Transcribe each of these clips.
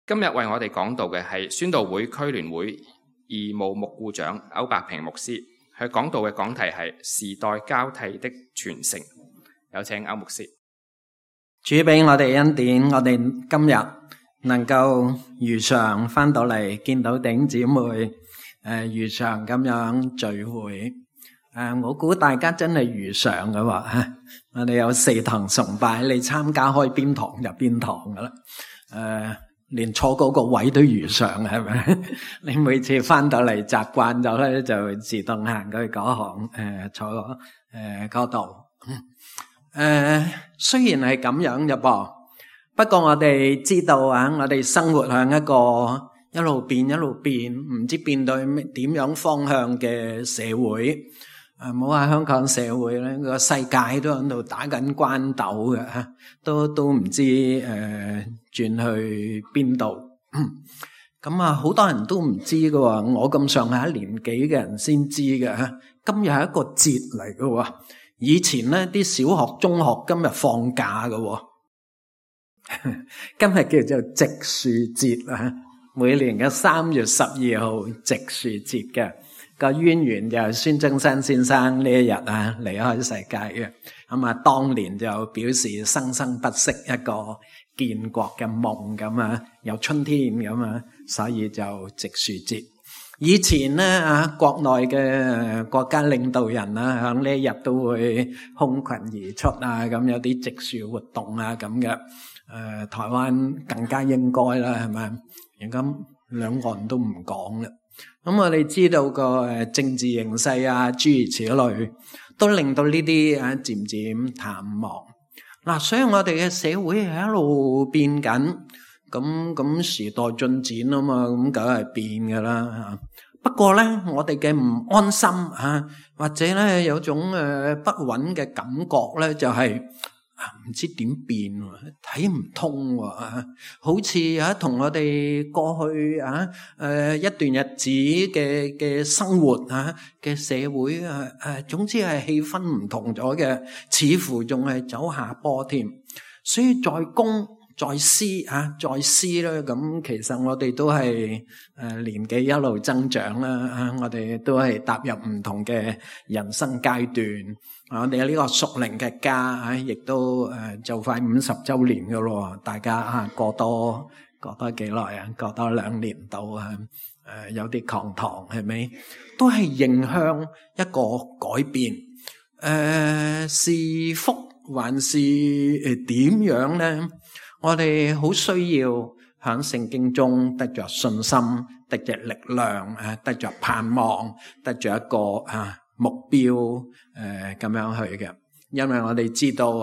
今日為我哋講道嘅係宣道會區聯會義務牧顧長歐伯平牧師，佢講道嘅講題係時代交替的傳承。有請歐牧師。主俾我哋恩典，我哋今日能夠如常翻到嚟見到弟兄姊妹，如常咁樣聚會。我估大家真係如常嘅話，我哋有4堂崇拜，你參加開邊堂就邊堂噶啦。連坐嗰個位都如常，係咪？你每次翻到嚟習慣咗咧，就自動行去嗰行，坐嗰度。雖然係咁樣啫噃，不過我哋知道啊，我哋生活向一個一路變，唔知變到點樣方向嘅社會。唔好話香港社會咧，個世界都喺度打緊關鬥嘅，都唔知轉去邊度。咁啊，好多人都唔知嘅喎，我咁上下年紀嘅人先知嘅。今日係一個節嚟嘅喎，以前咧啲小學、中學今日放假嘅喎，今日叫做植樹節啊，每年嘅3月12號植樹節嘅。個淵源就係孫中山先生呢一日啊離開世界嘅，咁啊當年就表示生生不息一個建國嘅夢咁啊，有春天咁啊，所以就植樹節。以前咧國內嘅國家領導人啊，響呢一日都會空群而出啊，咁有啲植樹活動啊咁嘅。台灣更加應該啦，係咪？而家兩岸都唔講啦。咁我哋知道個政治形勢啊，諸如此類，都令到呢啲漸漸淡忘。嗱，所以我哋嘅社會係一路變緊，咁時代進展啊嘛，咁梗係變噶啦。不過咧，我哋嘅唔安心或者咧有種不穩嘅感覺咧，就係唔知點變，睇唔通喎，好似同我哋過去一段日子嘅生活嘅社會總之係氣氛唔同咗嘅，似乎仲係走下坡添。所以在公在私咧，咁其實我哋都係年紀一路增長啦，我哋都係踏入唔同嘅人生階段。我哋呢個屬靈嘅家亦都就快50周年噶咯，大家過多幾耐啊？過多2年到有啲抗糖係咪？都係迎向一個改變。是福還是點樣咧？我哋好需要喺聖經中得着信心，得着力量，得着盼望，得着一個目標咁樣去嘅。因為我哋知道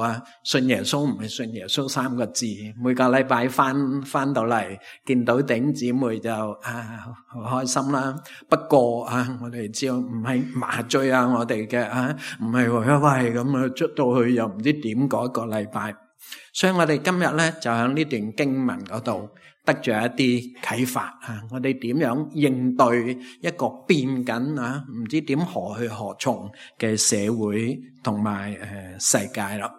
信耶穌唔係信耶穌3個字，每個禮拜翻到嚟見到弟兄姊妹就好開心啦。不過我哋知道唔係麻醉我哋嘅唔係喂咁出到去又唔知點嗰個禮拜。所以我哋今日咧就喺呢段經文嗰度得著一啲啟發我哋點樣應對一個變緊唔知點何去何從嘅社會同埋世界啦。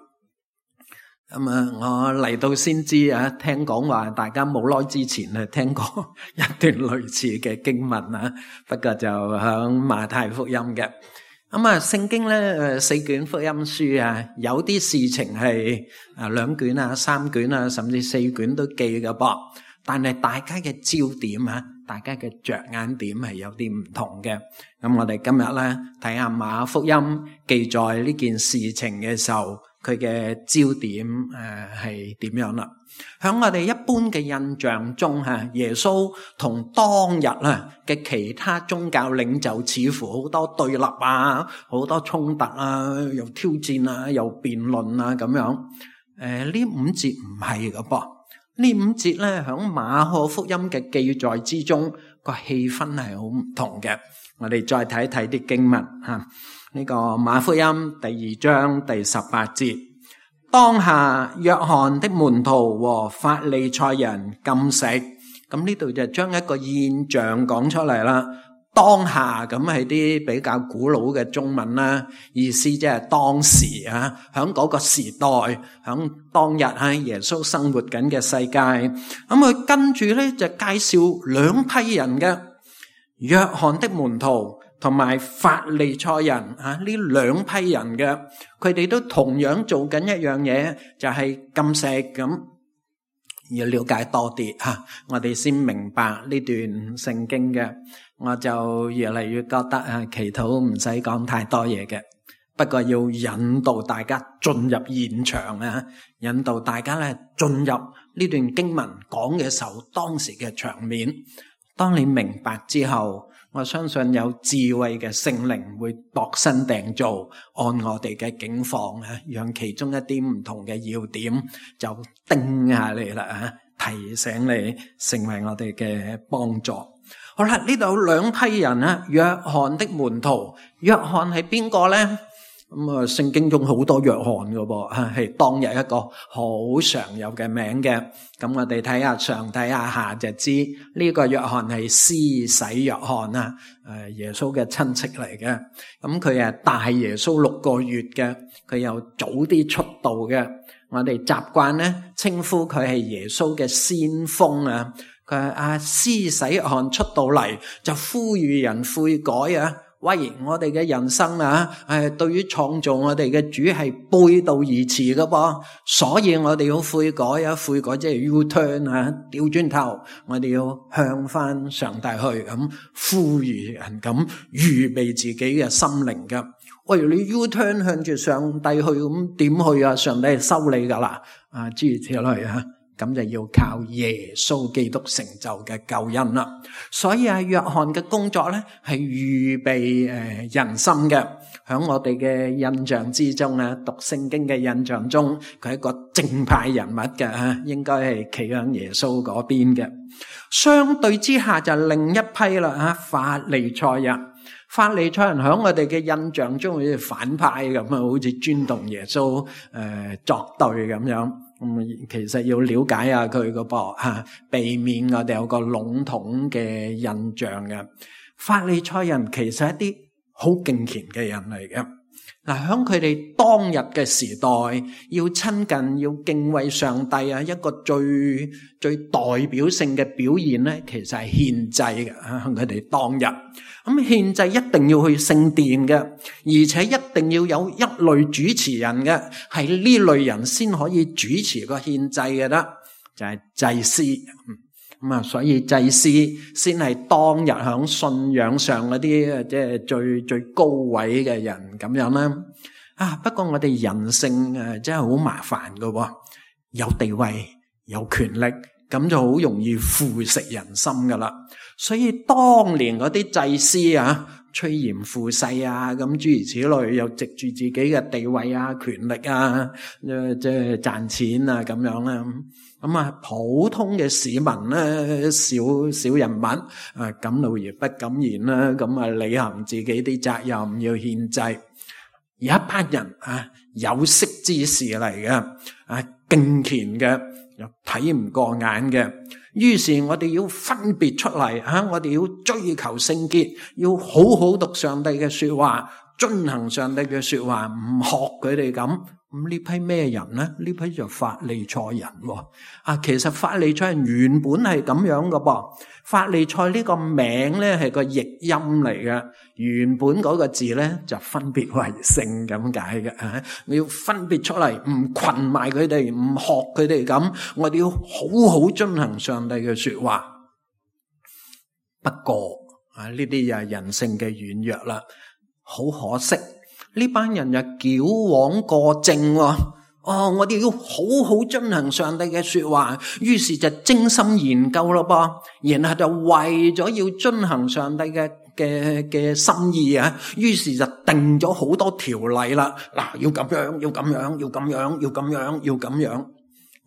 咁我嚟到先知聽講話大家冇耐之前聽過一段類似嘅經文不過就喺馬太福音嘅。咁聖經咧4卷福音書有啲事情係2卷3卷甚至4卷都記嘅噃。但係大家嘅焦點大家嘅着眼點係有啲唔同嘅。咁我哋今日咧睇下馬福音記載呢件事情嘅時候，佢嘅焦點係點樣啦？喺我哋一般嘅印象中耶穌同當日嘅其他宗教領袖似乎好多對立好多衝突又挑戰又辯論咁樣。呢5節唔係㗎噃。呢5節咧響馬可福音嘅記載之中，個氣氛係好唔同嘅。我哋再睇睇啲經文呢個馬福音第2章第18節，當下約翰的門徒和法利賽人禁食。咁呢度就將一個現象講出嚟啦。當下咁係啲比較古老嘅中文啦，意思即係當時啊，響嗰個時代，響當日喺耶穌生活緊嘅世界。咁佢跟住咧就介紹兩批人嘅，約翰的門徒同埋法利賽人啊，呢兩批人嘅，佢哋都同樣做緊一樣嘢，就係禁食咁。要了解多啲吓，我哋先明白呢段聖經嘅。我就越嚟越覺得祈禱唔使講太多嘢嘅，不過要引導大家進入現場啊，引導大家咧進入呢段經文講嘅時候，當時嘅場面。當你明白之後，我相信有智慧嘅聖靈會度身訂造，按我哋嘅境況啊，讓其中一啲唔同嘅要點就叮下你啦啊，提醒你，成為我哋嘅幫助。好啦，呢度有兩批人啊，約翰的門徒。約翰係邊個呢？咁聖經中好多約翰噶噃，係當日一個好常有嘅名嘅。咁我哋睇下上睇下下就知呢個約翰係施洗約翰啊，耶穌嘅親戚嚟嘅。咁佢係大耶穌6個月嘅，佢又早啲出道嘅。我哋習慣咧稱呼佢係耶穌嘅先鋒啊。佢係施洗約翰出到嚟就呼籲人悔改啊！喂，我哋嘅人生啊，對於創造我哋嘅主係背道而馳噶噃，所以我哋要悔改啊！悔改即係 U-turn 啊，調轉頭，我哋要向翻上帝去咁呼籲人，咁預備自己嘅心靈噶。喂，你 U-turn 向住上帝去咁點去啊？上帝係收你噶啦，諸如此類啊！咁就要靠耶穌基督成就嘅救恩啦。所以約翰嘅工作咧係預備人心嘅。喺我哋嘅印象之中啊，讀聖經嘅印象中，佢係一個正派人物嘅，應該係企喺耶穌嗰邊嘅。相對之下就另一批啦，法利賽人。法利賽人喺我哋嘅印象中好似反派咁啊，好似專同耶穌作對咁樣。其實要了解下佢個噃，避免我哋有個籠統嘅印象嘅。法利賽人其實係一啲好敬虔嘅人嚟嘅。嗱，喺佢哋當日嘅時代，要親近、要敬畏上帝啊，一個最代表性嘅表現咧，其實係獻祭嘅。喺佢哋當日，咁獻祭一定要去聖殿嘅，而且一定要有一類主持人嘅，係呢類人先可以主持個獻祭嘅啦，就係祭司。所以祭司先係當日響信仰上嗰啲即係最高位嘅人咁樣啦。不過我哋人性真係好麻煩㗎，有地位有權力，咁就好容易腐蝕人心噶啦。所以當年嗰啲祭司趨炎附勢咁諸如此類，又藉住自己嘅地位權力即係賺錢咁樣啦。普通嘅市民咧，小人物敢怒而不敢言啦，咁履行自己啲責任，要獻祭。有一班人有識之士嚟嘅，敬虔嘅，又睇唔過眼嘅。於是我哋要分別出嚟，我哋要追求聖潔，要好好讀上帝嘅說話，遵行上帝嘅說話，唔學佢哋咁。咁呢批咩人呢？呢批就法利賽人喎。其實法利賽人原本係咁樣嘅噃。法利賽呢個名咧係個譯音嚟嘅，原本嗰個字咧就分別為聖咁解嘅。你要分別出嚟，唔群埋佢哋，唔學佢哋咁。我哋要好好遵行上帝嘅說話。不過呢啲又係人性嘅軟弱啦，好可惜。呢班人就矯枉過正我哋要好好遵行上帝嘅說話，於是就精心研究咯噃，然後就為咗要遵行上帝嘅心意於是就定咗好多條例啦。嗱，要咁樣，要咁樣，要咁樣，要咁樣，要咁樣。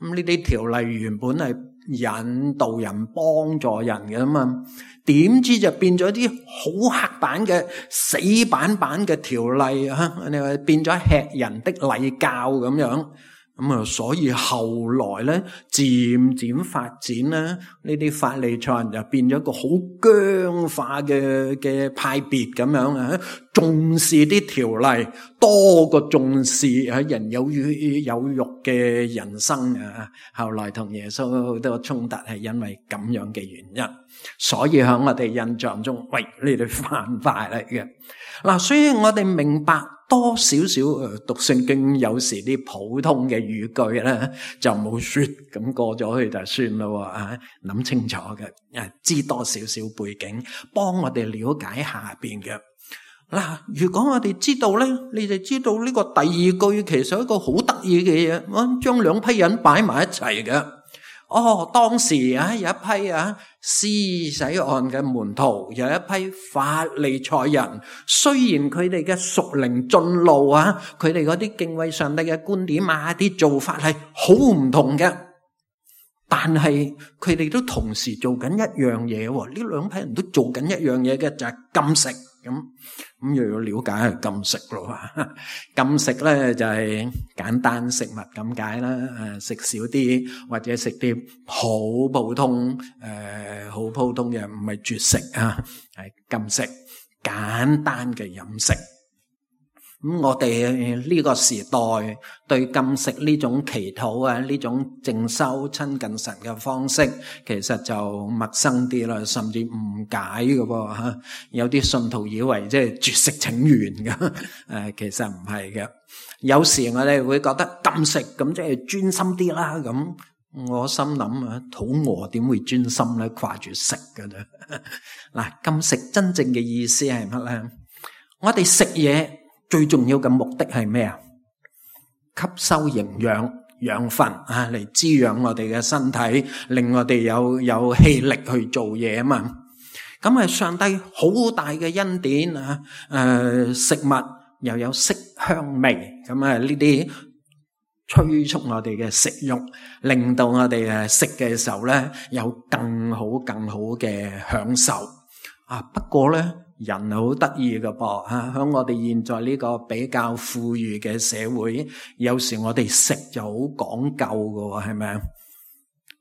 咁呢啲條例原本係引導人、幫助人嘅嘛，點知就變咗啲好刻板嘅死板嘅條例你話變咗吃人的禮教咁樣。咁啊，所以後來咧，漸漸發展咧，呢啲法利賽人就變咗一個好僵化嘅派別咁樣啊，重視啲條例多過重視人有肉嘅人生啊。後來同耶穌好多衝突係因為咁樣嘅原因，所以喺我哋印象中，喂，呢啲犯法嚟嘅嗱，所以我哋明白。多少少讀聖經，有時啲普通嘅語句咧就冇說咁過咗去就算咯啊！諗清楚嘅，知多少少背景，幫我哋了解下邊嘅嗱。如果我哋知道咧，你哋知道呢個第二句其實係一個好得意嘅嘢，我將兩批人擺埋一齊嘅。當時有一批施洗約翰嘅門徒，有一批法利賽人。雖然佢哋嘅屬靈進路佢哋嗰啲敬畏上帝嘅觀點啲做法係好唔同嘅，但係佢哋都同時做緊一樣嘢。呢兩批人都做緊一樣嘢嘅，就係禁食。咁又要了解係禁食咯。禁食咧就係簡單食物咁解啦，食少啲或者食啲好普通嘅，唔係絕食係禁食，簡單嘅飲食。咁我哋呢個時代對禁食呢種祈禱呢種靜修親近神嘅方式，其實就陌生啲啦，甚至誤解嘅噃。有啲信徒以為即係絕食請願嘅，其實唔係嘅。有時我哋會覺得禁食咁即係專心啲啦。咁我心諗肚餓點會專心咧？掛住食嘅啫。嗱，禁食真正嘅意思係乜咧？我哋食嘢最重要嘅目的係咩啊？吸收營養、養分嚟滋養我哋嘅身體，令我哋有氣力去做嘢啊嘛。咁係上帝好大嘅恩典食物又有色香味，咁呢啲催促我哋嘅食慾，令到我哋食嘅時候咧有更好嘅享受不過咧，人好得意嘅噃喺我哋現在呢個比較富裕嘅社會，有時我哋食就好講究嘅，係咪啊？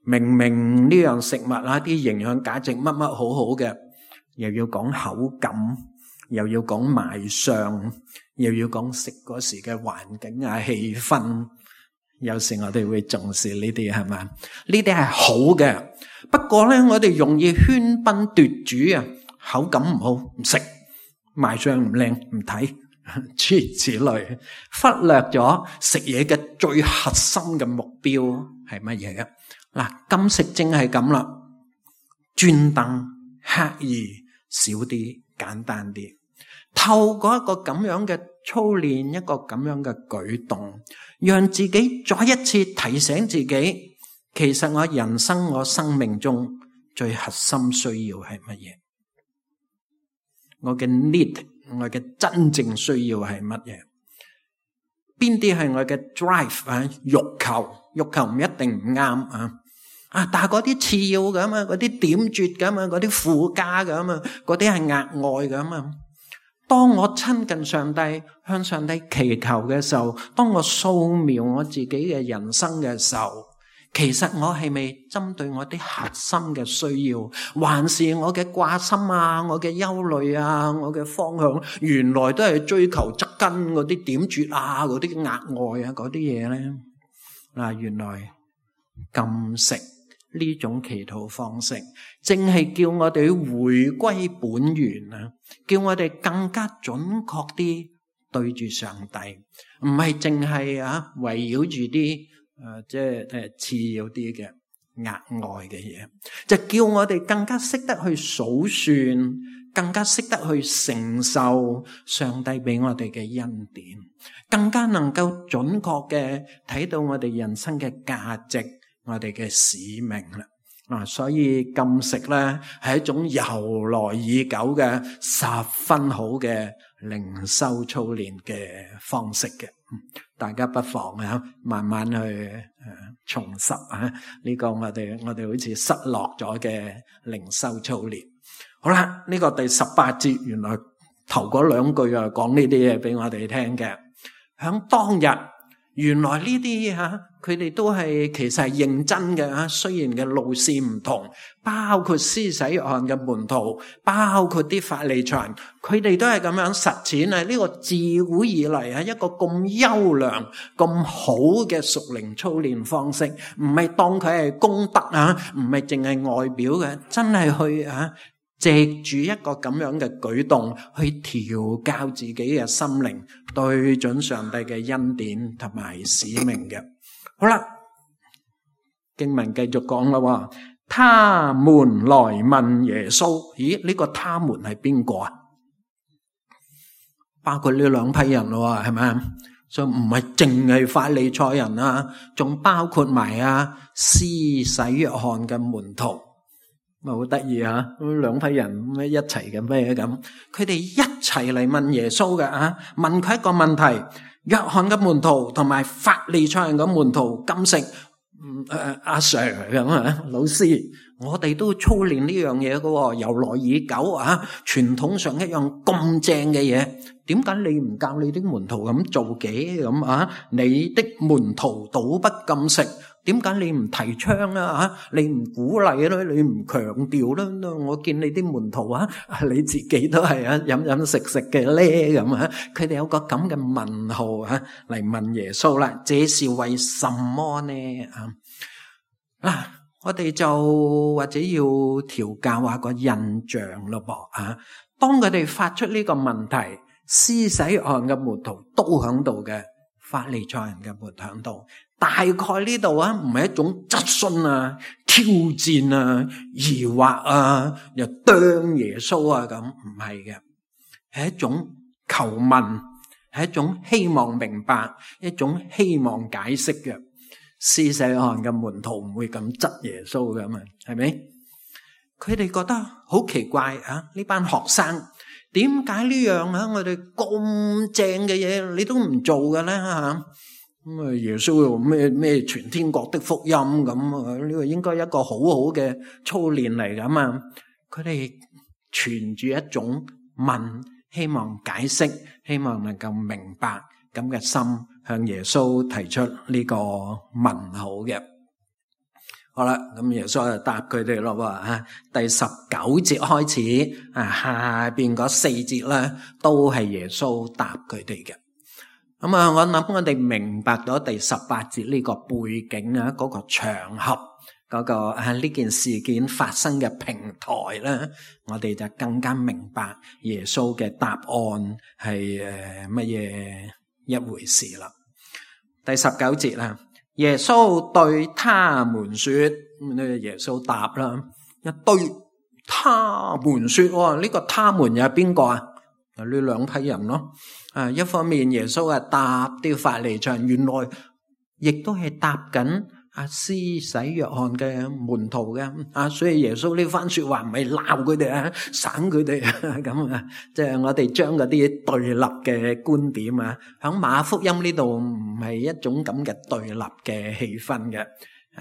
明明呢樣食物啲營養價值乜好好嘅，又要講口感，又要講賣相，又要講食嗰時嘅環境氣氛。有時我哋會重視呢啲，係咪？呢啲係好嘅，不過咧我哋容易喧賓奪主口感唔好唔食，賣相唔靚唔睇，諸如此類，忽略咗食嘢嘅最核心嘅目標係乜嘢嘅？嗱，禁食正係咁啦，專登刻意少啲，簡單啲，透過一個咁樣嘅操練，一個咁樣嘅舉動，讓自己再一次提醒自己，其實我人生我生命中最核心需要係乜嘢？我嘅 need， 我嘅真正需要係乜嘢？邊啲係我嘅 drive 欲求？欲求唔一定唔啱但係嗰啲次要㗎嘛，嗰啲點綴㗎嘛，嗰啲附加㗎嘛，嗰啲係額外㗎嘛。當我親近上帝，向上帝祈求嘅時候，當我掃描我自己嘅人生嘅時候，其實我係咪針對我啲核心嘅需要，還是我嘅掛心我嘅憂慮我嘅方向，原來都係追求側根嗰啲點綴嗰啲額外嗰啲嘢咧？原來禁食呢種祈禱方式，正係叫我哋回歸本源叫我哋更加準確啲對住上帝，唔係淨係圍繞住啲即係次要啲嘅額外嘅嘢，就叫我哋更加識得去數算，更加識得去承受上帝俾我哋嘅恩典，更加能夠準確嘅睇到我哋人生嘅價值，我哋嘅使命啦。所以禁食咧係一種由來已久嘅十分好嘅靈修操練嘅方式嘅。大家不妨慢慢去重拾呢個我哋好似失落咗嘅靈修操練。好啦，呢個第18節原來頭嗰兩句講呢啲嘢俾我哋聽嘅。響當日原來呢啲佢哋都係其實係認真嘅雖然嘅路線唔同，包括施洗約翰嘅門徒，包括啲法利賽人，佢哋都係咁樣實踐呢個自古以嚟一個咁優良、咁好嘅屬靈操練方式，唔係當佢係功德唔係淨係外表嘅，真係去藉住一個咁樣嘅舉動去調教自己嘅心靈，對準上帝嘅恩典同埋使命嘅。好啦，經文繼續講啦，他們來問耶穌，咦？呢個他們係邊個啊？包括呢兩批人咯，係咪？所以唔係淨係法利賽人仲包括埋施洗約翰嘅門徒。好得意兩批人咩一齊嘅咩咁？佢哋一齊嚟問耶穌嘅問佢一個問題：約翰嘅門徒同埋法利賽人嘅門徒禁食，阿 Sir 咁老師，我哋都操練呢樣嘢嘅，由來已久傳統上一樣咁正嘅嘢，點解你唔教你的門徒咁做嘅咁你的門徒倒不禁食。點解你唔提倡你唔鼓勵你唔強調我見你啲門徒你自己都係飲飲食食嘅咧咁佢哋有個咁嘅問號嚟問耶穌啦，這是為什麼呢？我哋就或者要調教下個印象咯噃當佢哋發出呢個問題，施洗約翰嘅門徒都響度嘅，法利賽人嘅門徒響度。大概呢度唔係一種質詢挑戰疑惑又啄耶穌咁，唔係嘅，係一種求問，係一種希望明白，一種希望解釋嘅。施洗約翰嘅門徒唔會咁質耶穌嘅嘛，係咪？佢哋覺得好奇怪呢班學生點解呢樣我哋咁正嘅嘢你都唔做嘅咧咁耶穌又咩全天國的福音咁呢個應該一個好好嘅操練嚟噶嘛？佢哋存住一種問，希望解釋，希望能夠明白咁嘅心，向耶穌提出呢個問號嘅。好啦，咁耶穌就答佢哋咯第19節開始下邊嗰4節咧，都係耶穌答佢哋嘅。咁我諗我哋明白咗第18節呢個背景嗰個場合，嗰個呢件事件發生嘅平台咧，我哋就更加明白耶穌嘅答案係乜嘢一回事啦。第19節耶穌對他們說，耶穌答啦，一對他們說，呢個他們又係邊個呢兩批人咯。一方面耶穌答啲法利賽人，原來亦都係答緊施洗約翰嘅門徒嘅所以耶穌呢番說話唔係鬧佢哋省佢哋咁即係我哋將嗰啲對立嘅觀點響馬福音呢度唔係一種咁嘅對立嘅氣氛嘅，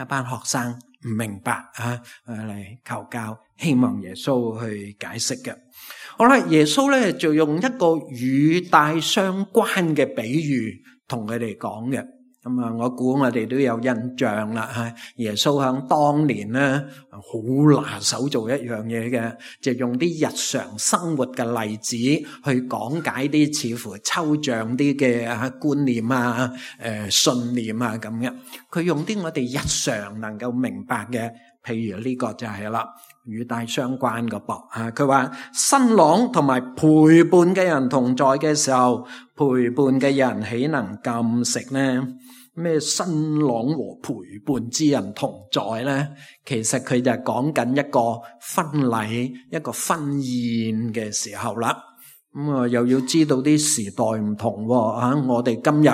一班學生唔明白嚟求教，希望耶穌去解釋嘅。好啦，耶穌咧就用一個語帶相關嘅比喻同佢哋講嘅。咁我估我哋都有印象啦。耶穌響當年咧好拿手做一樣嘢嘅，就用啲日常生活嘅例子去講解啲似乎抽象啲嘅觀念信念咁嘅。佢用啲我哋日常能夠明白嘅，譬如呢個就係啦，語帶相關嘅噃。佢話新郎同埋陪伴嘅人同在嘅時候，陪伴嘅人豈能禁食呢？咩新郎和陪伴之人同在呢？其實佢就係講緊一個婚禮、一個婚宴嘅時候啦。又要知道啲時代唔同我哋今日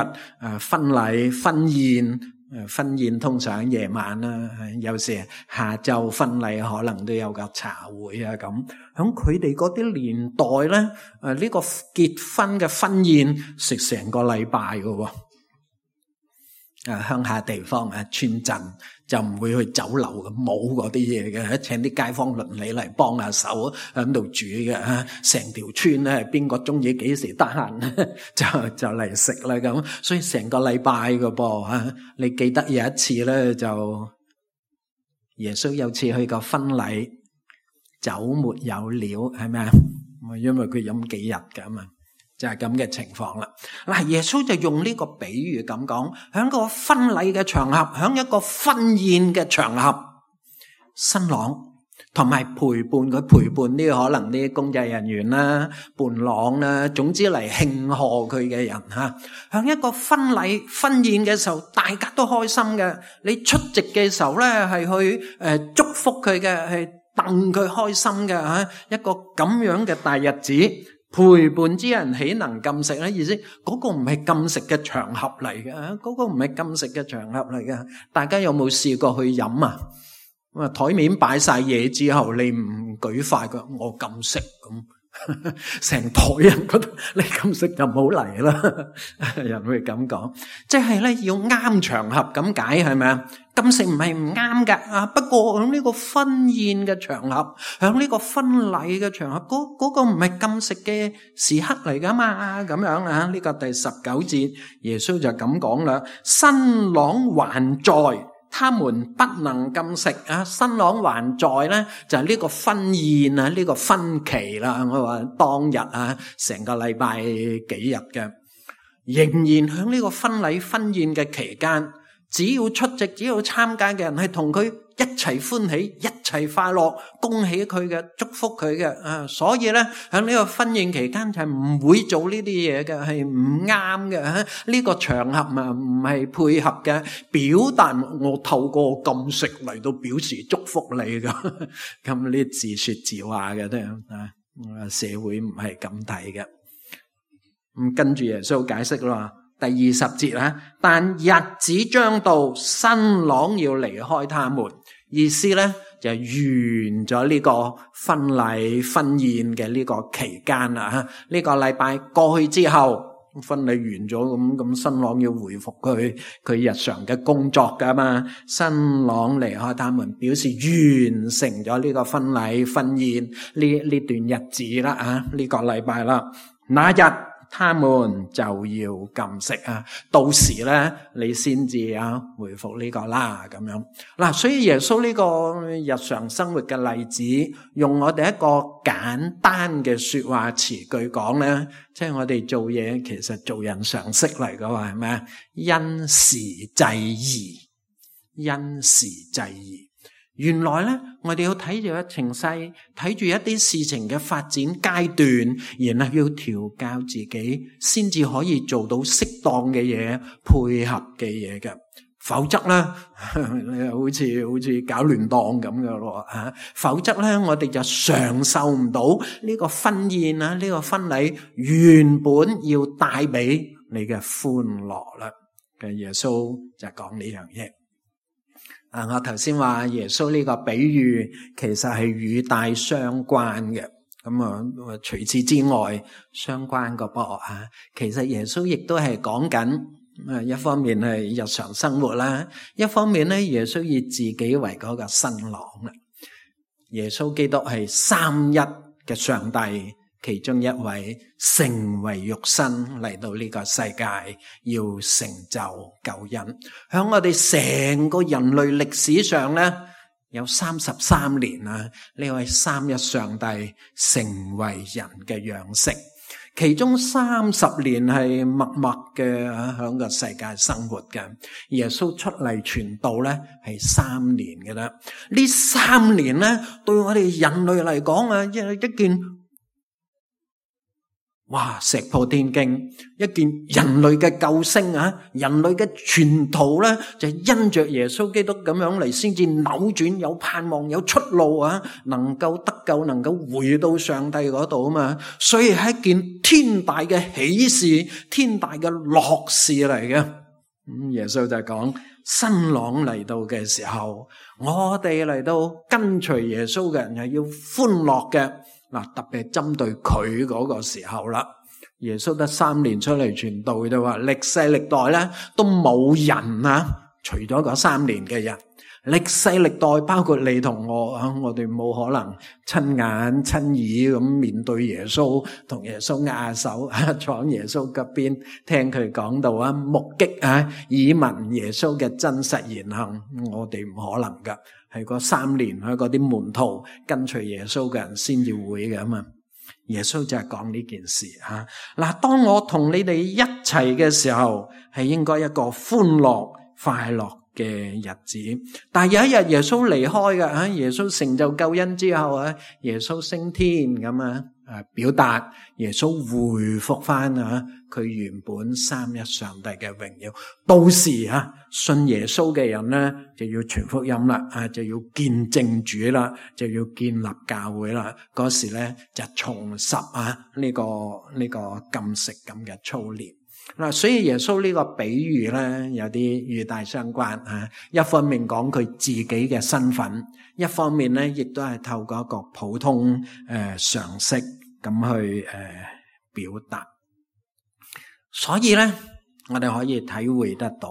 婚禮、婚宴通常夜晚啦，有時下晝婚禮可能都有個茶會咁。響佢哋嗰啲年代咧，呢個結婚嘅婚宴食成個禮拜㗎喎。鄉下地方村鎮就唔會去酒樓冇嗰啲嘢嘅，請啲街坊鄰里嚟幫下手喺度煮嘅，成條村咧邊個中意幾時得閒就嚟食啦咁，所以成個禮拜嘅噃。你記得有一次咧，就耶穌有次去個婚禮，酒沒有了，係咪啊？因為佢飲幾日㗎嘛。就係咁嘅情況啦。嗱，耶穌就用呢個比喻咁講，喺個婚禮嘅場合，喺一個婚宴嘅場合，新郎同埋陪伴啲可能啲公祭人員啦、伴郎啦，總之嚟慶賀佢嘅人嚇，喺一個婚禮婚宴嘅時候，大家都開心嘅。你出席嘅時候咧，係去祝福佢嘅，係戥佢開心嘅嚇，一個咁樣嘅大日子。陪伴之人豈能禁食咧？意思嗰個唔係禁食嘅場合嚟嘅，嗰個唔係禁食嘅場合嚟嘅。大家有冇試過去飲啊？咁啊，台面擺晒嘢之後，你唔舉筷嘅，我禁食咁，成台人覺得你禁食就唔好嚟啦。人會咁講，即係咧要啱場合咁解，係咪啊？禁食唔係唔啱噶，不過喺呢個婚宴嘅場合，喺呢個婚禮嘅場合，嗰個唔係禁食嘅時刻嚟噶嘛，咁樣啊？呢個第19節，耶穌就咁講啦：新郎還在，他們不能禁食啊！新郎還在咧，就係呢個婚宴啊，呢個婚期啦。我話當日啊，成個禮拜幾日嘅，仍然喺呢個婚禮婚宴嘅期間。只要出席，只要參加嘅人係同佢一齊歡喜，一齊快樂，恭喜佢嘅，祝福佢嘅。所以咧喺呢個婚宴期間就係唔會做呢啲嘢嘅，係唔啱嘅。呢個場合啊唔係配合嘅，表達我透過禁食嚟到表示祝福你嘅。咁呢自說自話嘅啫啊，社會唔係咁睇嘅。咁跟住耶穌解釋啦。第20節啊，但日子將到，新郎要離開他們，意思咧就完咗呢個婚禮婚宴嘅呢個期間啦。呢個禮拜過去之後，婚禮完咗，咁新郎要回復佢日常嘅工作噶嘛。新郎離開他們，表示完成咗呢個婚禮婚宴呢段日子啦啊，呢個禮拜啦，那日他們就要禁食啊，到時咧你先至回復呢個啦咁樣。嗱，所以耶穌呢個日常生活嘅例子，用我哋一個簡單嘅說話詞句講咧，即係我哋做嘢其實做人常識嚟噶喎，係咪啊？因時制宜，因時制宜。原來咧，我哋要睇住一情勢，睇住一啲事情嘅發展階段，然後要調教自己，先至可以做到適當嘅嘢，配合嘅嘢嘅。否則咧，好似搞亂檔咁嘅咯吓。否則咧，我哋就嘗受唔到呢個婚宴啊，呢個婚禮原本要帶俾你嘅歡樂啦。嘅耶穌就講呢樣嘢。我頭先話耶穌呢個比喻其實係語帶相關嘅，咁除此之外相關個噃啊，其實耶穌亦都係講緊一方面係日常生活啦，一方面咧耶穌以自己為嗰個新郎啦。耶穌基督係三一嘅上帝，其中一位成為肉身嚟到呢個世界，要成就救恩。響我哋成個人類歷史上咧，有33年啊，呢位三一上帝成為人嘅樣式，其中30年係默默嘅響個世界生活嘅。耶穌出嚟傳道咧係3年嘅啦，呢3年咧對我哋人類嚟講啊，一件哇！石破天驚，一件人類嘅救星啊！人類嘅全途咧，就因着耶穌基督咁樣嚟，先至扭轉，有盼望，有出路啊！能夠得救，能夠回到上帝嗰度啊嘛！所以係一件天大嘅喜事，天大嘅樂事嚟嘅。耶穌就講新郎嚟到嘅時候，我哋嚟到跟隨耶穌嘅人係要歡樂嘅。嗱，特別係針對佢嗰個時候啦，耶穌得3年出嚟傳道嘅話，歷世歷代咧都冇人啊，除咗嗰3年嘅人，歷世歷代包括你同我啊，我哋冇可能親眼親耳咁面對耶穌，同耶穌握手啊，坐喺耶穌側邊聽佢講道啊，目擊啊，耳聞耶穌嘅真實言行，我哋唔可能噶，係嗰3年喺嗰啲門徒跟隨耶穌嘅人先至會嘅嘛。耶穌就係講呢件事吓。嗱，當我同你哋一齊嘅時候，係應該一個歡樂快樂嘅日子。但係有一日耶穌離開嘅，耶穌成就救恩之後啊，耶穌升天咁啊，表達耶穌回復翻啊佢原本三一上帝嘅榮耀。到時啊，信耶穌嘅人咧就要傳福音啦，就要見證主啦，就要建立教會啦。嗰時咧就重拾呢個禁食咁嘅操練。嗱，所以耶穌呢個比喻咧有啲與大相關啊。一方面講佢自己嘅身份，一方面咧亦都係透過一個普通常識咁去表達。所以咧，我哋可以體會得到，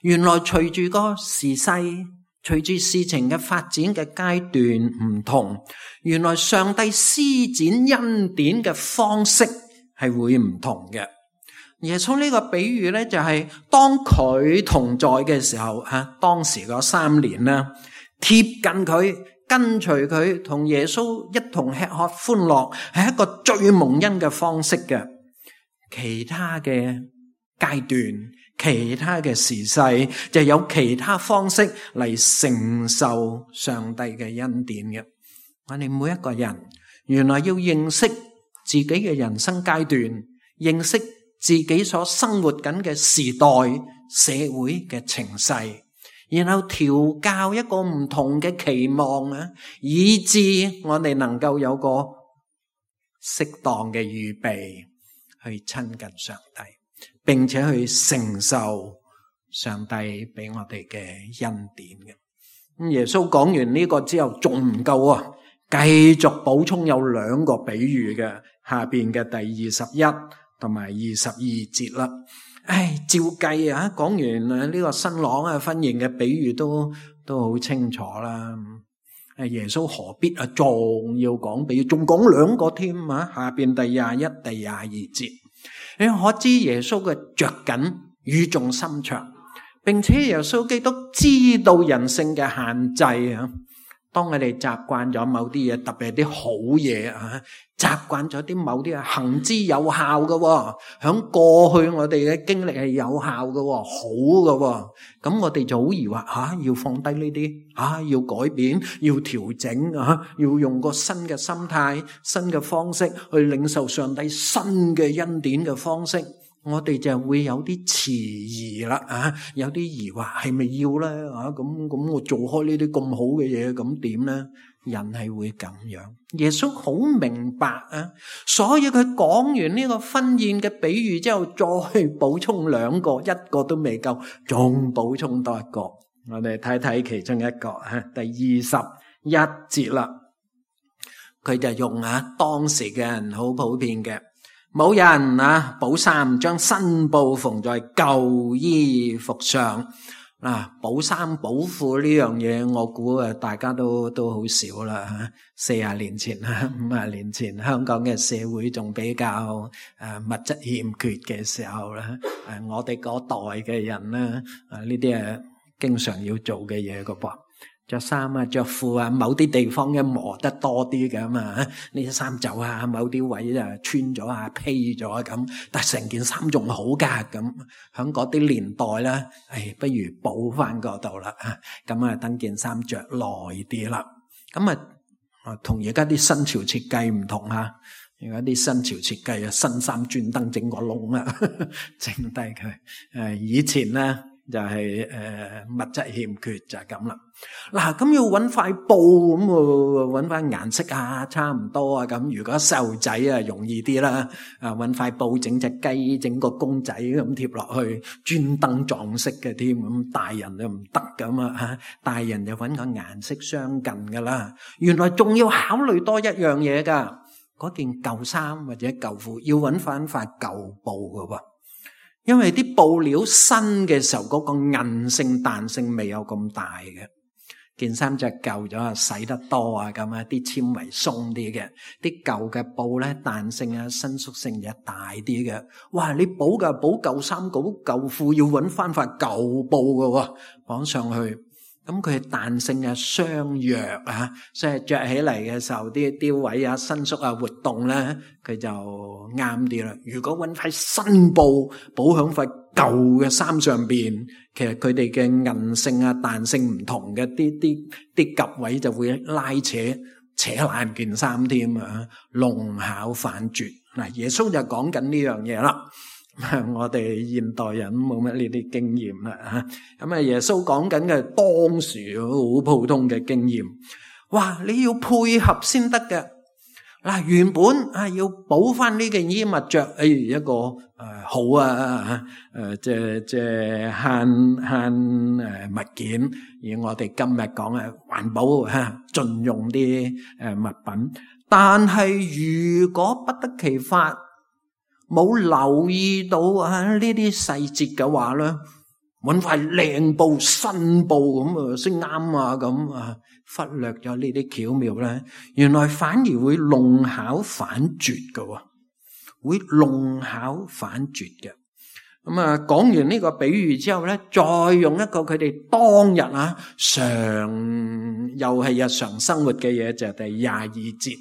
原來隨住個時勢，隨住事情嘅發展嘅階段唔同，原來上帝施展恩典嘅方式係會唔同嘅。耶穌呢個比喻咧，就係當佢同在嘅時候，當時嗰3年啦，貼近佢，跟隨佢，同耶穌一同吃喝歡樂，係一個最蒙恩嘅方式嘅。其他嘅階段，其他嘅時勢，就有其他方式嚟承受上帝嘅恩典嘅。我哋每一個人，原來要認識自己嘅人生階段，認識自己所生活緊嘅時代社會嘅情勢，然後調教一個唔同嘅期望啊，以致我哋能夠有個適當嘅預備去親近上帝，並且去承受上帝俾我哋嘅恩典嘅。咁耶穌講完呢個之後仲唔夠啊，繼續補充有2個比喻嘅，下邊嘅第21同埋22節啦。照計啊，講完呢個新郎婚宴嘅比喻都好清楚啦。耶穌何必仲要講比喻，仲講2個添啊？下邊第21、第22節，你可知耶穌嘅着緊語重心長，並且耶穌基督知道人性嘅限制啊。當我哋習慣咗某啲嘢，特別係啲好嘢習慣咗啲某啲行之有效嘅，響過去我哋嘅經歷係有效嘅，好嘅，咁我哋就好疑惑要放低呢啲要改變，要調整要用個新嘅心態、新嘅方式去領受上帝新嘅恩典嘅方式，我哋就會有啲遲疑啦有啲疑惑，係咪要咧咁我做開呢啲咁好嘅嘢，咁點咧？人係會咁樣。耶穌好明白所以佢講完呢個婚宴嘅比喻之後，再補充2個，1個都未夠，仲補充多1個。我哋睇睇其中一個第21節啦。佢就用當時嘅人好普遍嘅，冇人補衫，將新布縫在舊衣服上。補衫補褲呢樣嘢，我估大家都好少啦。40年前50年前，香港嘅社會仲比較物質欠缺嘅時候啦，我哋嗰代嘅人咧，呢啲係經常要做嘅嘢噶噃。着衫着褲某啲地方磨得多啲嘅嘛，呢啲衫袖某啲位穿咗披咗咁，但係成件衫仲好噶咁。響嗰啲年代咧，不如補翻嗰度啦，咁等件衫着耐啲啦。咁同而家啲新潮設計唔同而家啲新潮設計新衫專登整個窿整低佢。以前咧就係物質欠缺就係咁啦。咁要揾塊布咁揾翻顏色差唔多咁。如果細路仔容易啲啦，揾塊布整隻雞，整個公仔咁貼落去，專登撞色嘅添。咁大人就唔得咁大人就揾個顏色相近噶啦。原來仲要考慮多一樣嘢噶，嗰件舊衫或者舊褲，要揾翻塊舊布㗎喎。因為啲布料新嘅時候，嗰個韌性彈性未有咁大嘅。件衫就舊咗啊，洗得多啊咁啊，啲纖維鬆啲嘅，啲舊嘅布咧彈性啊伸縮性就大啲嘅。哇！你補舊衫補舊褲要揾翻塊舊布㗎喎，綁上去，咁佢彈性啊相若啊，所以着起嚟嘅時候啲位啊伸縮啊活動咧，佢就啱啲啦。如果揾塊新布補響塊舊嘅衫上邊，其實佢哋嘅韌性啊彈性唔同嘅，啲夾位就會拉扯爛件衫添啊，弄巧反拙。嗱，耶穌就講緊呢樣嘢啦。我哋現代人冇乜呢啲經驗啦，咁啊耶穌講緊嘅當時好普通嘅經驗。哇，你要配合先得嘅。嗱，原本要補翻呢件衣物着，一個好啊，即係慳物件。而我哋今日講嘅環保盡用啲物品，但係如果不得其法，冇留意到呢啲細節嘅話咧，揾塊靚布新布咁先啱啊，咁啊忽略咗呢啲巧妙咧，原來反而會弄巧反拙嘅，會弄巧反拙嘅。咁啊講完呢個比喻之後咧，再用一個佢哋當日又係日常生活嘅嘢，就係第22節。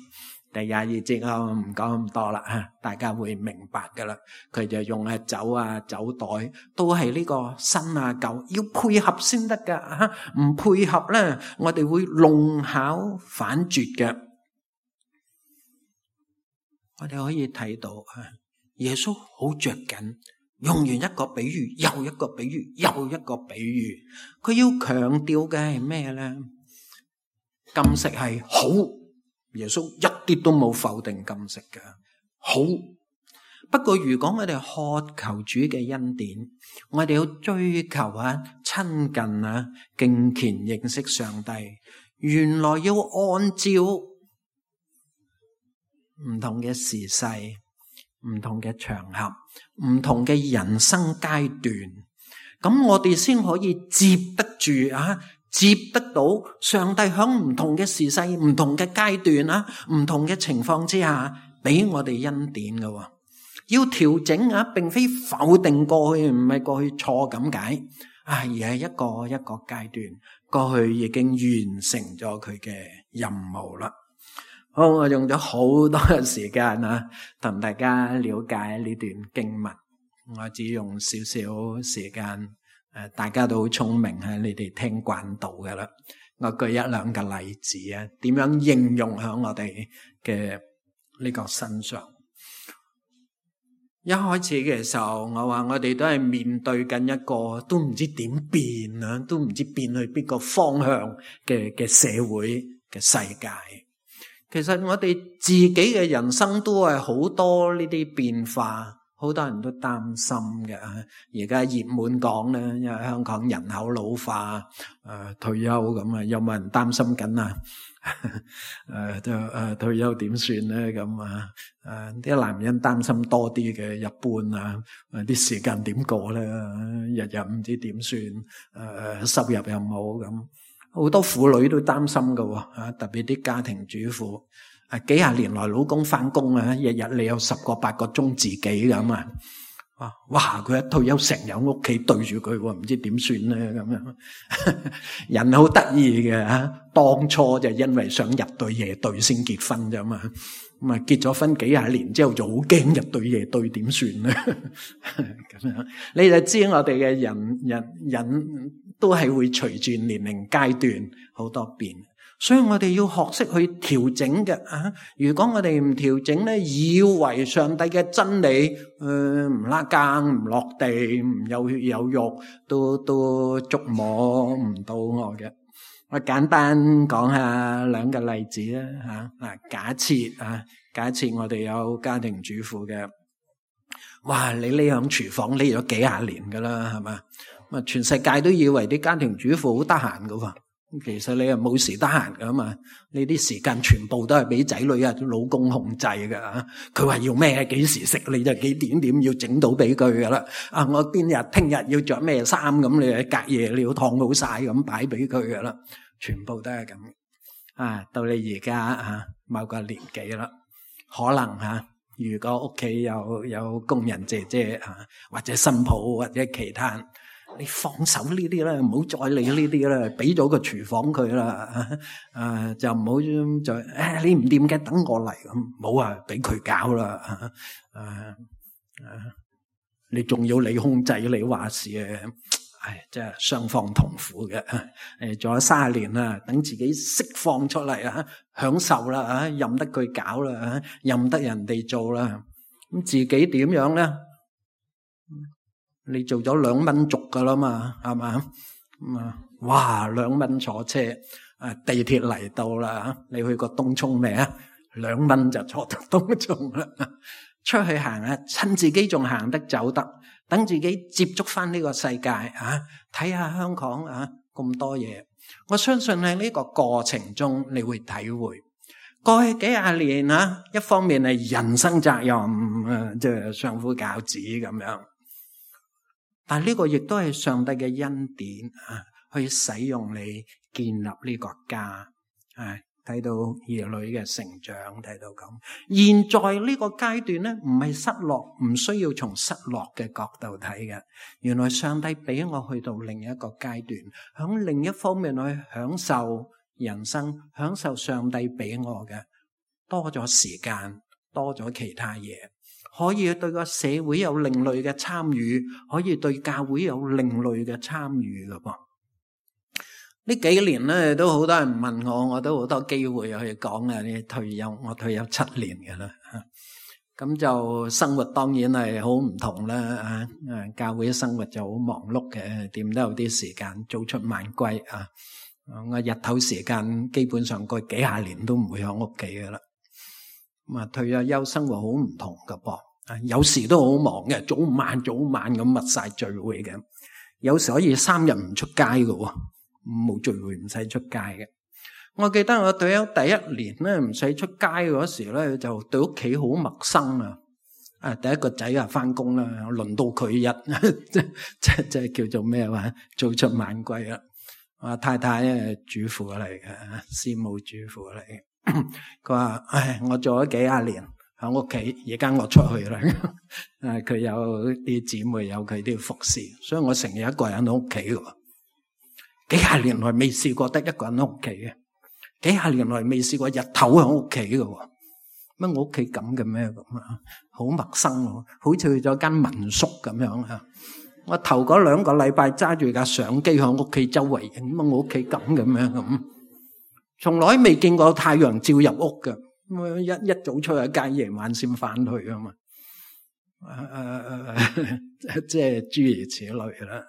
第22節我唔講咁多啦，大家會明白噶啦。佢就用酒酒袋，都係呢個新舊要配合先得噶，唔配合咧，我哋會弄巧反拙嘅。我哋可以睇到耶穌好着緊，用完一個比喻，又一個比喻，又一個比喻。佢要強調嘅係咩咧？禁食係好。耶穌一啲都冇否定禁食嘅，好。不過如果我哋渴求主嘅恩典，我哋要追求親近敬虔認識上帝，原來要按照唔同嘅時勢、唔同嘅場合、唔同嘅人生階段，咁我哋先可以接得住接得到上帝響唔同嘅時勢、唔同嘅階段唔同嘅情況之下，俾我哋恩典嘅。要調整並非否定過去，唔係過去錯咁解，而係一個一個階段，過去已經完成咗佢嘅任務啦。好，我用咗好多嘅時間同大家了解呢段經文，我只用少少時間。大家都好聰明，你哋聽慣到㗎啦。我舉一兩個例子點樣應用喺我哋嘅呢個身上。一開始嘅時候，我話我哋都係面對緊一個都唔知點變都唔知變去邊個方向嘅社會嘅世界。其實我哋自己嘅人生都係好多呢啲變化。好多人都擔心嘅，而家熱門講咧，因為香港人口老化，退休咁有冇人擔心緊退休點算咧？咁啲男人擔心多啲嘅，一般啲時間點過咧？日日唔知點算，收入又冇咁，好多婦女都擔心㗎，特別啲家庭主婦。幾廿年來老公返工日日你有10個8個鐘自己咁哇！佢一退休成日屋企對住佢，唔知點算咧咁樣。人好得意嘅當初就因為想入對夜隊先結婚啫嘛，咁結咗婚幾廿年之後就好驚入對夜隊點算咧？咁樣你就知我哋嘅人都係會隨住年齡階段好多變。所以我哋要學識去調整嘅如果我哋唔調整咧，以為上帝嘅真理唔拉更唔落地唔有血有肉，都觸摸唔到我嘅。我簡單講下兩個例子啦假設我哋有家庭主婦嘅，哇！你匿響廚房匿咗幾廿年噶啦，係嘛？全世界都以為啲家庭主婦好得閒噶喎。其實你又冇時得閒噶嘛，你啲時間全部都係俾仔女啊老公控制噶。佢話要咩幾時食，你就幾點要整到俾佢噶啦。我邊日聽日要着咩衫，咁你隔夜你要燙好晒咁擺俾佢噶啦，全部都係咁。到你而家某個年紀啦，可能如果屋企有工人姐姐或者新抱或者其他，你放手呢啲啦，唔好再理呢啲啦，俾咗個廚房佢啦，就唔好再你唔掂嘅，等我嚟咁，唔好俾佢搞啦，你仲要你控制你話事嘅，真係雙方痛苦嘅。做咗30年啦，等自己釋放出嚟享受啦，任得佢搞啦，任得人哋做啦，咁自己點樣咧？你做咗2蚊族噶啦嘛，係嘛？哇，2蚊坐車，地鐵嚟到啦，你去過東涌未啊？2蚊就坐到東涌啦。出去行趁自己仲行得走得，等自己接觸翻呢個世界睇下香港咁多嘢。我相信喺呢個過程中，你會體會過去幾廿年一方面係人生責任，即係相夫教子咁樣。但係呢個亦都係上帝嘅恩典去使用你建立呢個家，睇到兒女嘅成長，睇到咁。現在呢個階段咧，唔係失落，唔需要從失落嘅角度睇嘅。原來上帝俾我去到另一個階段，響另一方面去享受人生，享受上帝俾我嘅，多咗時間，多咗其他嘢。可以對個社會有另類嘅參與，可以對教會有另類嘅參與㗎噃。呢幾年咧都好多人問我都好多機會去講你退休，我退休7年嘅啦。咁就生活當然係好唔同啦。教會生活就好忙碌嘅，點都有啲時間早出晚歸我日頭時間基本上過幾廿年都唔會喺屋企嘅啦。退咗休生活好唔同噶噃，有時都好忙嘅，早晚咁密晒聚會嘅，有時可以3日唔出街嘅，冇聚會唔使出街嘅。我記得我退休第1年咧，唔使出街嗰時咧，就對屋企好陌生第一個仔翻工啦，輪到佢即係叫做咩話，早出晚歸啦。我太太主婦嚟嘅，師母主婦嚟嘅。佢話我做咗幾廿年喺屋企，而家我出去啦。佢有啲姊妹，有佢啲服侍，所以我成日一個人喺屋企嘅。幾廿年來未試過得一個人喺屋企嘅，幾廿年來未試過日頭喺屋企嘅。乜我屋企咁嘅咩咁好陌生，好似去咗間民宿咁樣。我頭嗰2個禮拜揸住架相機喺屋企周圍影，乜我屋企咁嘅咩咁。從來未見過太陽照入屋嘅，一早出去街，夜晚先翻去啊嘛。即係諸如此類啦。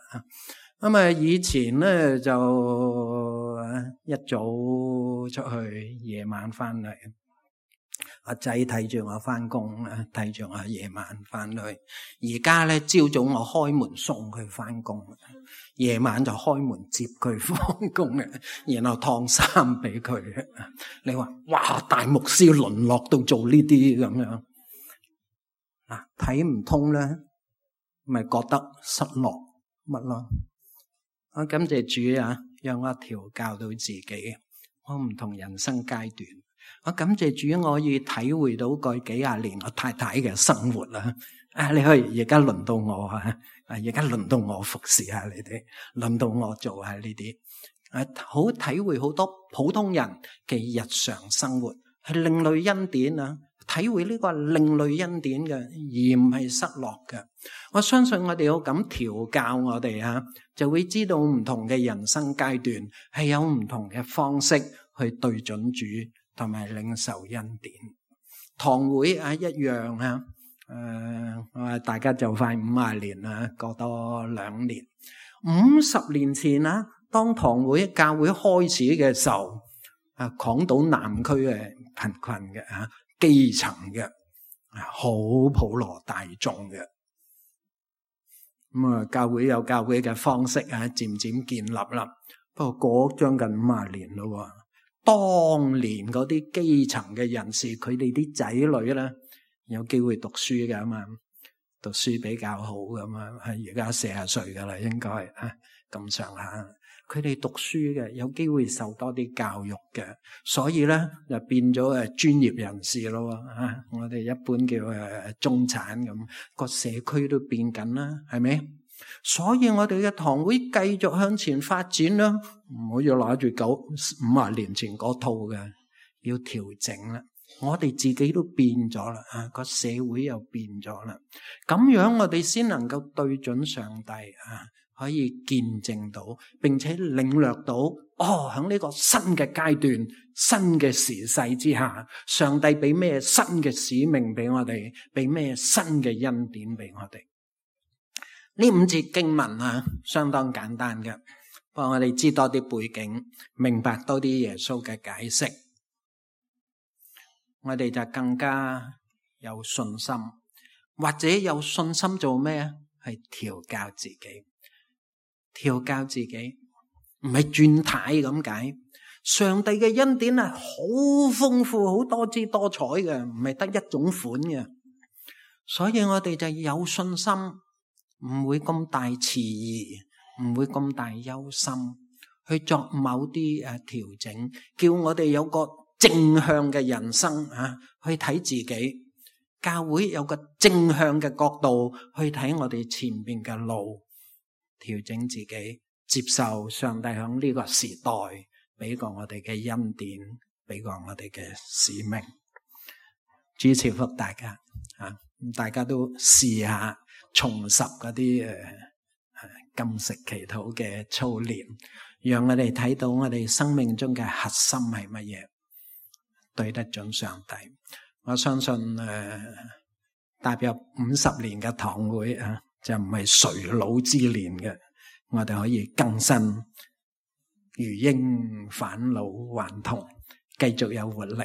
咁以前咧就一早出去，夜晚翻嚟。阿仔睇住我翻工，睇住我夜晚翻去。而家咧朝早我開門送佢翻工，夜晚就開門接佢翻工嘅，然後燙衫俾佢。你話哇，大牧師淪落到做呢啲咁樣睇唔通咧，咪覺得失落乜咯？我感謝主讓我調教到自己，我唔同人生階段。我感謝主，我可以體會到過幾廿年我太太嘅生活啦。你可以而家輪到我而家輪到我服侍下你哋，輪到我做下呢啲。好體會好多普通人嘅日常生活，係另類恩典體會呢個係另類恩典嘅，而唔係失落嘅。我相信我哋要咁調教我哋就會知道唔同嘅人生階段係有唔同嘅方式去對準主同埋領受恩典。堂會一樣大家就快50年啦，過多2年。50年前當堂會教會開始嘅時候，港島南區嘅貧困嘅基層嘅好普羅大眾嘅。教會有教會嘅方式漸漸建立啦。不過過將近50年咯。當年嗰啲基層嘅人士，佢哋啲仔女咧有機會讀書㗎嘛，讀書比較好㗎嘛，而家40歲㗎啦，應該咁上下。佢哋讀書嘅有機會受多啲教育嘅，所以咧就變咗專業人士咯。我哋一般叫中產咁，個社區都變緊啦，係咪？所以我哋嘅堂會繼續向前發展啦，唔好要攞住50年前嗰套嘅，要調整啦。我哋自己都變咗啦，個社會又變咗啦，咁樣我哋先能夠對準上帝可以見證到，並且領略到喺呢個新嘅階段、新嘅時勢之下，上帝俾咩新嘅使命俾我哋，俾咩新嘅恩典俾我哋。呢5節經文相當簡單嘅，幫我哋知多啲背景，明白多啲耶穌嘅解釋，我哋就更加有信心，或者有信心做咩？係調教自己。調教自己唔係轉軚咁解，上帝嘅恩典係好豐富、好多姿多彩嘅，唔係得一種款嘅。所以我哋就有信心，唔會咁大遲疑，唔會咁大憂心，去作某啲調整，叫我哋有個正向嘅人生去睇自己。教會有個正向嘅角度去睇我哋前面嘅路。調整自己，接受上帝響呢個時代俾過我哋嘅恩典，俾過我哋嘅使命。主賜福大家大家都試下重拾嗰啲禁食祈禱嘅操練，讓我哋睇到我哋生命中嘅核心係乜嘢，對得準上帝。我相信踏入50年嘅堂會就唔係垂老之年嘅，我哋可以更新如鷹返老還童，繼續有活力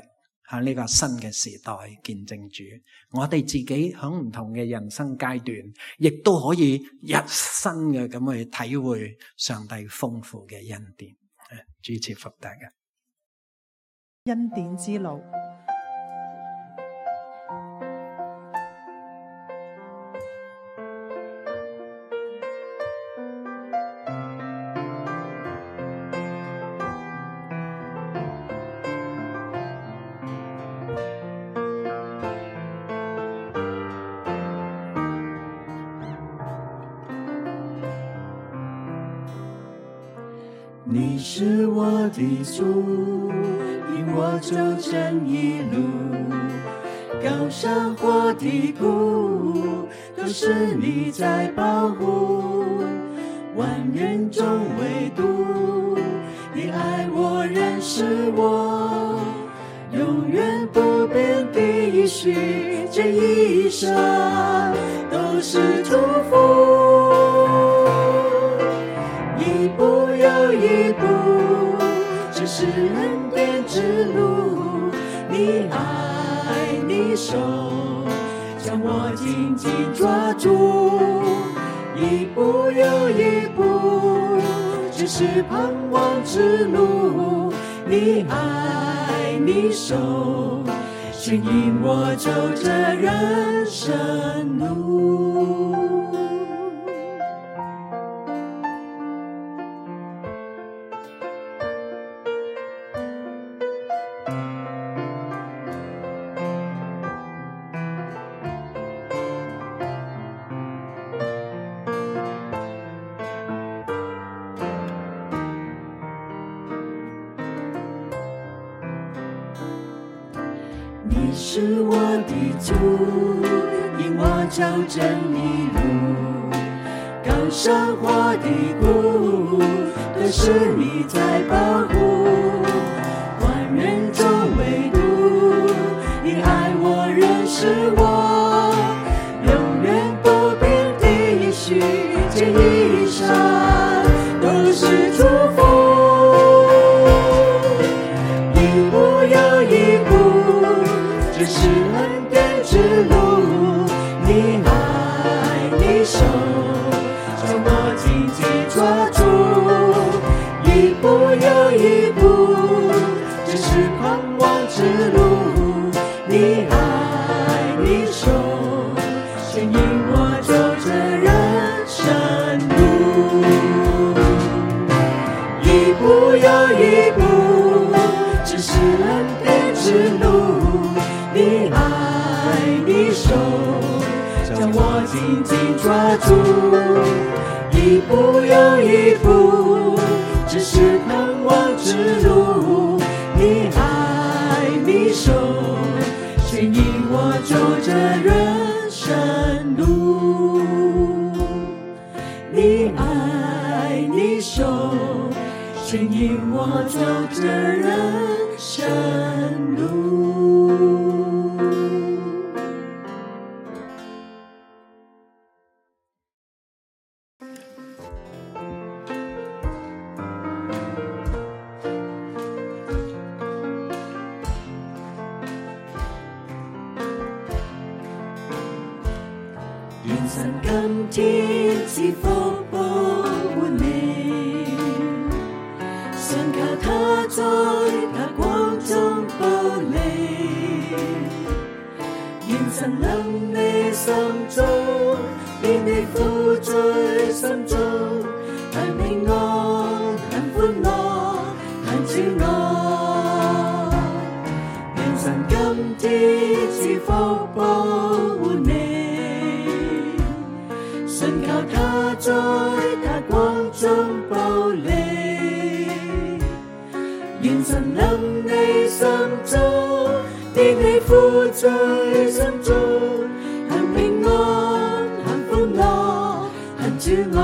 喺呢個新嘅時代見證主。我哋自己喺唔同嘅人生階段，亦都可以一新嘅咁去體會上帝豐富嘅恩典。主賜福大家。恩典之路。你是我的主，引我走正義路，高山或低谷，都是你在保護。萬人中唯獨你愛我認識我，永遠不變的應許，這一生都是祝福。一步又一步，這是恩典之路，你愛你手將我緊緊抓住。一步又一步，這是盼望之路，你愛你手牽引我走這人生路。你是我的主，引我走正義路，高山或低谷，都是你在保護。萬人中唯獨你愛我認識我，永遠不變的應許，這一生都是祝福。一步又一步，這是恩典之路，你愛你手將我緊緊抓住。一步你爱你手牵引我走这人生路，一步又一步，只是恩典之路。你爱你手将我紧紧抓住，一步又一步，只是盼望之路。你爱你手牵引我走这人生路，你爱你手牵引我走这人生路。願神今天賜福保護你，信靠他在他光中保你。願神臨你心中，變你苦醉心中，很平安，很歡樂，很主愛。願神今天賜福保護你。信靠他在他光中保你，願神臨你心中，變你苦醉心中，很平安，很歡樂，很主愛，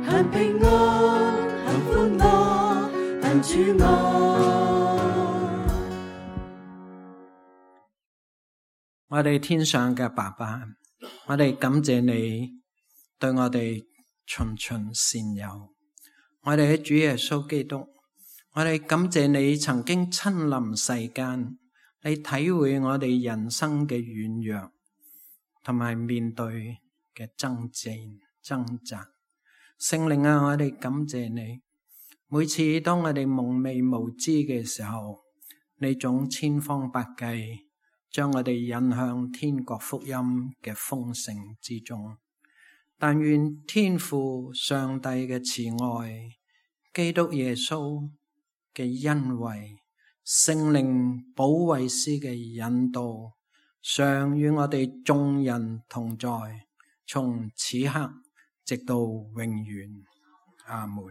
很平安，很歡樂，很主愛。我哋天上嘅爸爸，我哋感謝你對我哋循循善誘，我哋喺主耶穌基督，我哋感謝你曾經親臨世間，你體會我哋人生嘅軟弱，同埋面對嘅爭戰掙扎。聖靈啊，我哋感謝你，每次當我哋蒙昧無知嘅時候，你總千方百計將我哋引向天國福音嘅豐盛之中。但願天父上帝嘅慈愛、基督耶穌嘅恩惠、聖靈保惠師嘅引導，常與我哋眾人同在，從此刻直到永遠。阿門。